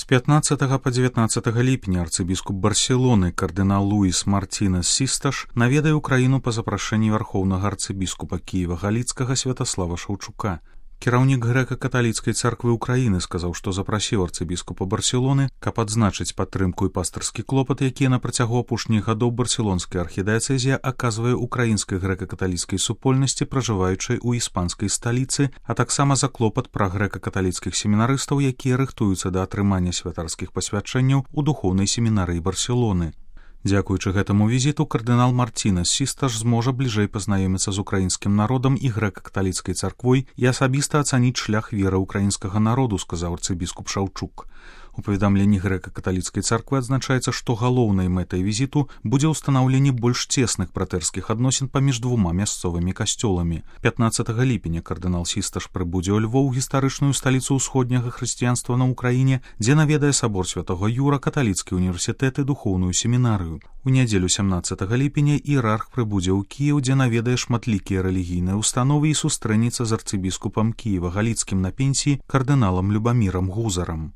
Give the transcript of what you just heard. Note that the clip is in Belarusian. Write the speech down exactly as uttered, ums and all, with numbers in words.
З пятнаццатага па дзевятнаццатага ліпеня арцыбіскуп Барселоны кардынал Луіс Мартінес Систаш наведае ўкраіну па запрашэнні вярхоўнага арцыбіскупа Кіева-Галіцкага Святаслава Шаўчука. Кіраўнік грэка-каталіцкай царквы ўкраіны сказаў, што запрасіў арцыбіскупа Барселоны, каб адзначыць падтрымку і пастырскі клопат, якія на працягу апошніх гадоў барселонская архідыяцэзія аказвае ўкраінскай грэка-каталіцкай супольнасці, пражываючай у іспанскай сталіцы, а таксама за клопат пра грэка-каталіцкіх семінарыстаў, якія рыхтуюцца да атрымання святарскіх пасвячэнняў у духоўнай семінарыі Барселоны. Дзякуючы гэтаму візіту кардынал Мартінес Систаш зможа бліжэй пазнаёміцца з украінскім народам і грэка-каталіцкай царквой і асабіста ацаніць шлях веры ўкраінскага народу, сказаў арцыбіскуп Шаўчук. У паведамленні грэка-каталіцкай царквы адзначаецца, што галоўнай мэтай візіту будзе ўстанаўленне больш цесных братэрскіх адносін паміж двума мясцовымі касцёламі. пятнаццатага ліпеня кардынал Систаш прыбудзе ў Львоў, гістарычную сталіцу ўсходняга хрысціянства на ўкраіне, дзе наведае сабор святога Юра, каталіцкі універсітэт і духоўную семінарыю. У нядзелю сямнаццатага ліпеня іерарх прыбудзе ў Кіеў, дзе наведае шматлікія рэлігійныя установы і сустрэнецца з арцыбіскупам Кіева-Галіцкім на пенсіі кардыналам Любамірам Гузарам.